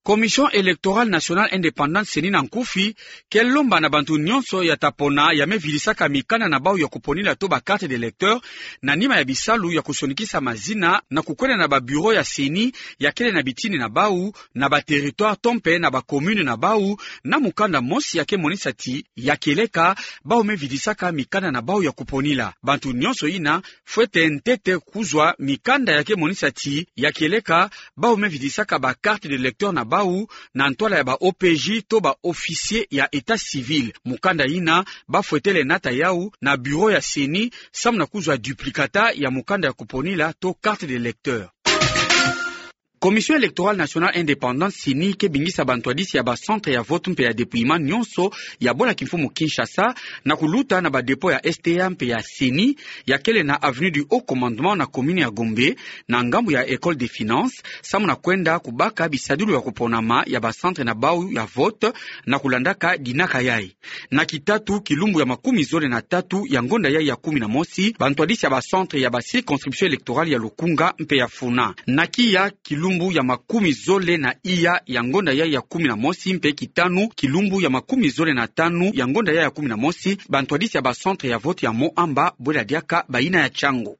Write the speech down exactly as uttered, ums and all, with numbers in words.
Commission électorale nationale indépendante, ceni, na nkufi ke lomba na bantu nyonso ya ta pona ya me vidisaka mikanda na bau ya kuponila to ba carte d'électeur na nima ya bisalu ya kusonikisa mazina na kukwenda na ba bureau ya ceni ya kele na bitini na bau, na ba territoire to mpe na ba commune na bau, na mukanda mosi ya ke monisa ti ya kieleka bau me vidisaka mikanda na bau ya kuponila. Bantu nyonso ina fwete ntete kuzwa mikanda ya ke monisa ti ya kieleka bau me vidisaka ba carte d'électeur na bau na ntwala ya ba O P J to ba officier ya état civil. Mukanda ina ba fwetele nata yau na bureau ya ceni samu na kuzwa duplicata ya mukanda ya kuponila to carte d'électeur. Commission électorale nationale indépendante, ceni, ke bingisa bantwadisi ya ba centre ya vote mpe ya dépouillement nyonso ya bola kimfumu Kinshasa na kuluta na ba dépôt ya S T A mpe ya ceni ya kele na avenue du Haut Commandement na commune ya Gombe, na ngambu ya École des Finances, samu na kwenda kubaka bisadulu ya kuponama ya ba centre na bau ya vote na kulandaka dinaka yai. Na kitatu, kilumbu ya makumi zole na tatu ya ngonda yai ya kumi na mosi, bantwadisi ya ba centre ya ba circonscription électorale ya Lukunga mpe ya Funa. Na kiya, kilumbu ya makumi zole na iya ya ngonda yai ya kumi na mosi, mpe kitanu, kilumbu ya makumi zole na tanu ya ngonda yai ya kumi na mosi, bantwadisi ya ba centre ya vote ya Moamba bwela diaka bayina ya Tshangu.